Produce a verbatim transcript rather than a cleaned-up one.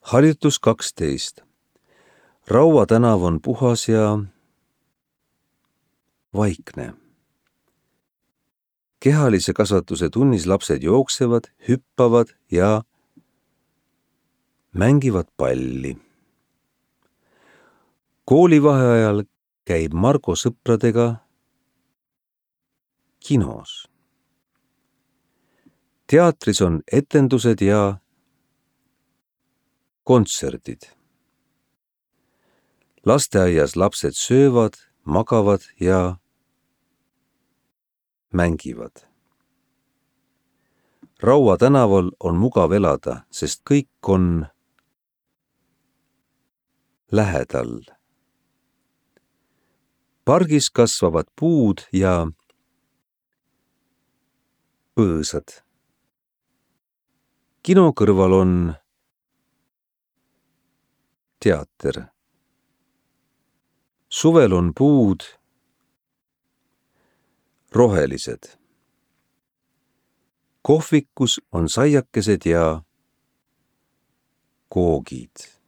Harjutus kaksteist. Raua tänav on puhas ja vaikne. Kehalise kasvatuse tunnis lapsed jooksevad, hüppavad ja mängivad palli. Koolivaheajal käib Margo sõpradega kinos. Teatris on etendused ja kontserdid. Lasteaias lapsed söövad, magavad ja mängivad. Raua tänaval on mugav elada, sest kõik on lähedal. Pargis kasvavad puud ja põõsad. Kino kõrval on teater. Suvel on puud rohelised. Kohvikus on saiakesed ja koogid.